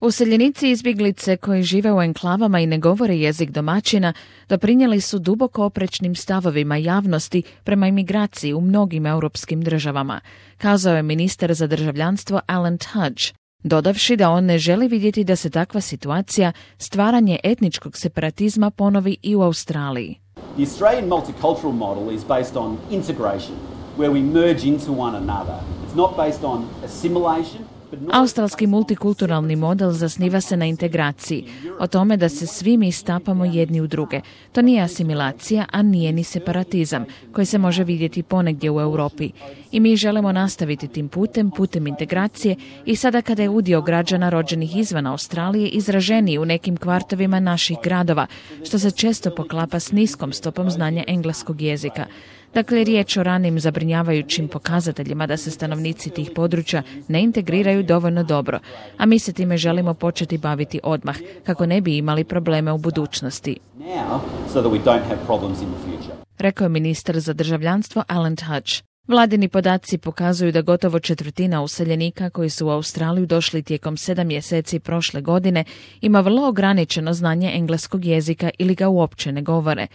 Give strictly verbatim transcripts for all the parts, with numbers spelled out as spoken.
Useljenici i izbjeglice koji žive u enklavama i ne govore jezik domaćina doprinijeli su duboko oprečnim stavovima javnosti prema imigraciji u mnogim europskim državama, kazao je ministar za državljanstvo Alan Tudge, dodavši da on ne želi vidjeti da se takva situacija, stvaranje etničkog separatizma, ponovi i u Australiji. The Australian multicultural model is based on integration, where we merge into one another. It's not based on assimilation. Australski multikulturalni model zasniva se na integraciji, o tome da se svi mi stapamo jedni u druge. To nije asimilacija, a nije ni separatizam, koji se može vidjeti ponegdje u Europi. I mi želimo nastaviti tim putem, putem integracije, i sada kada je udio građana rođenih izvan Australije izraženiji u nekim kvartovima naših gradova, što se često poklapa s niskom stopom znanja engleskog jezika. Dakle, riječ o ranim zabrinjavajućim pokazateljima da se stanovnici tih područja ne integriraju dovoljno dobro, a mi se time želimo početi baviti odmah, kako ne bi imali probleme u budućnosti. Rekao je ministar za državljanstvo Alan Tudge. Vladini podaci pokazuju da gotovo četvrtina useljenika koji su u Australiju došli tijekom sedam mjeseci prošle godine ima vrlo ograničeno znanje engleskog jezika ili ga uopće ne govore.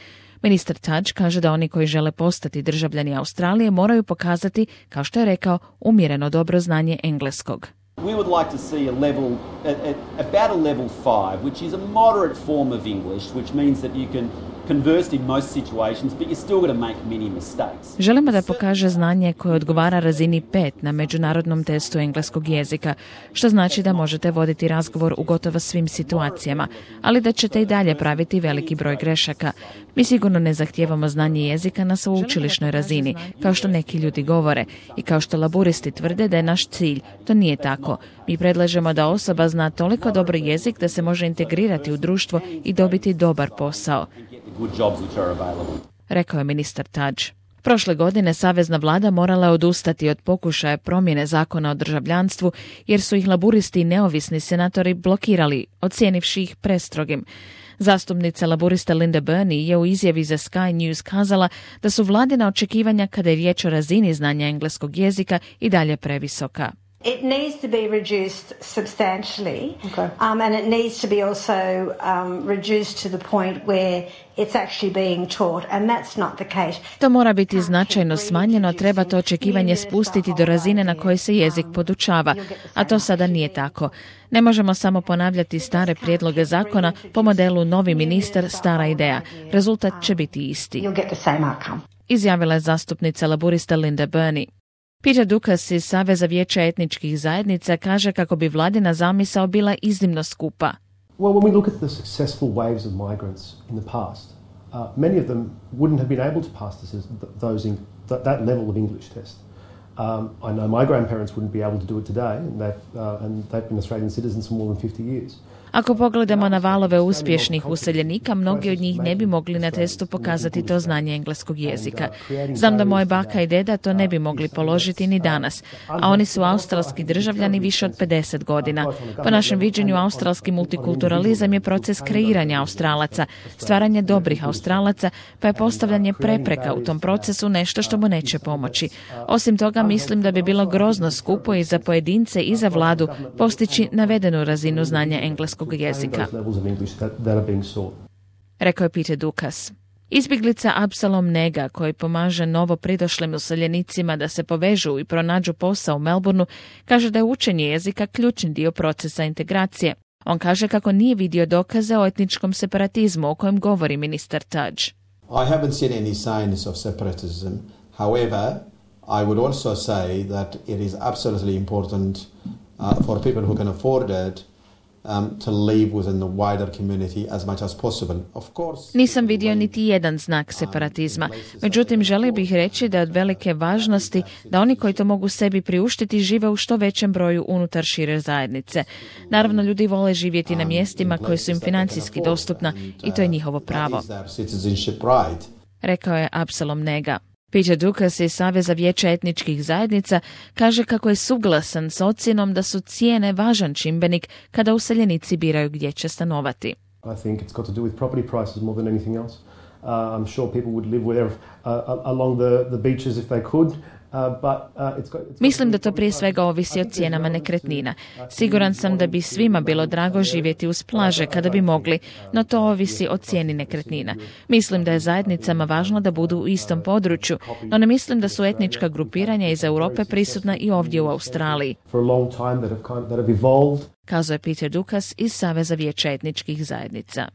Ministar Tudge kaže da oni koji žele postati državljani Australije moraju pokazati, kao što je rekao, umjereno dobro znanje engleskog. We would like to see a level, a, a, about a level five, which is a moderate form of English, which means that you can converse in most situations, but you're still going to make many mistakes. Želimo da pokaže znanje koje odgovara razini pet na međunarodnom testu engleskog jezika, što znači da možete voditi razgovor u gotovo svim situacijama, ali da ćete i dalje praviti veliki broj grešaka. Mi sigurno ne zahtijevamo znanje jezika na sveučilišnoj razini, kao što neki ljudi govore, i kao što laburisti tvrde da je naš cilj. To nije tako. Mi predlažemo da osoba zna toliko dobro jezik da se može integrirati u društvo i dobiti dobar posao, rekao je ministar Tudge. Prošle godine savezna vlada morala odustati od pokušaja promjene zakona o državljanstvu jer su ih laburisti i neovisni senatori blokirali, ocijenivši ih prestrogim. Zastupnica laburista Linda Burney je u izjavi za Sky News kazala da su vladina očekivanja kada je riječ o razini znanja engleskog jezika i dalje previsoka. It needs to be reduced substantially, okay. um, and it needs to be also um, reduced to the point where it's actually being taught, and that's not the case. To mora biti značajno smanjeno, treba to očekivanje spustiti do razine na kojoj se jezik podučava, a to sada nije tako. Ne možemo samo ponavljati stare prijedloge zakona po modelu novi ministar, stara ideja. Rezultat će biti isti, izjavila je zastupnica laburista Linda Burney. Peter Dukas iz Saveza vijeća etničkih zajednica kaže kako bi vladina zamisao bila iznimno skupa. Well, when we look at the successful waves of migrants in the past, uh, many of them wouldn't have been able to pass this, those in, that, that level of English test. Um, I know my grandparents wouldn't be able to do it today, and they've, uh, and they've been Australian citizens for more than fifty years. Ako pogledamo na valove uspješnih useljenika, mnogi od njih ne bi mogli na testu pokazati to znanje engleskog jezika. Znam da moje baka i deda to ne bi mogli položiti ni danas, a oni su australski državljani više od pedeset godina. Po našem viđenju, australski multikulturalizam je proces kreiranja Australaca, stvaranje dobrih Australaca, pa je postavljanje prepreka u tom procesu nešto što mu neće pomoći. Osim toga, mislim da bi bilo grozno skupo i za pojedince i za vladu postići navedenu razinu znanja engleskog jezika, rekao je Peter Dukas. Izbjeglica Absalom Nega, koji pomaže novo pridošlim useljenicima da se povežu i pronađu posao u Melbourneu, kaže da je učenje jezika ključni dio procesa integracije. On kaže kako nije vidio dokaze o etničkom separatizmu o kojem govori ministar Tudge. I haven't seen any signs of separatism. However, I would also say that it is absolutely important uh, for people who can afford it Um, to live within the wider community as much as possible. Of course, nisam vidio niti jedan znak separatizma. Međutim, želio bih reći da je od velike važnosti da oni koji to mogu sebi priuštiti žive u što većem broju unutar šire zajednice. Naravno, ljudi vole živjeti na mjestima koje su im financijski dostupna i to je njihovo pravo, rekao je Absalom Nega. Peter Dukas iz Saveza vijeća etničkih zajednica kaže kako je suglasan s ocjenom da su cijene važan čimbenik kada useljenici biraju gdje će stanovati. I think it's got to do with property prices more than anything else. Uh, I'm sure people would live where, uh, along the, the beaches if they could. Mislim da to prije svega ovisi o cijenama nekretnina. Siguran sam da bi svima bilo drago živjeti uz plaže kada bi mogli, no to ovisi o cijeni nekretnina. Mislim da je zajednicama važno da budu u istom području, no ne mislim da su etnička grupiranja iz Europe prisutna i ovdje u Australiji. Kazao je Peter Dukas iz Saveza vijeća etničkih zajednica.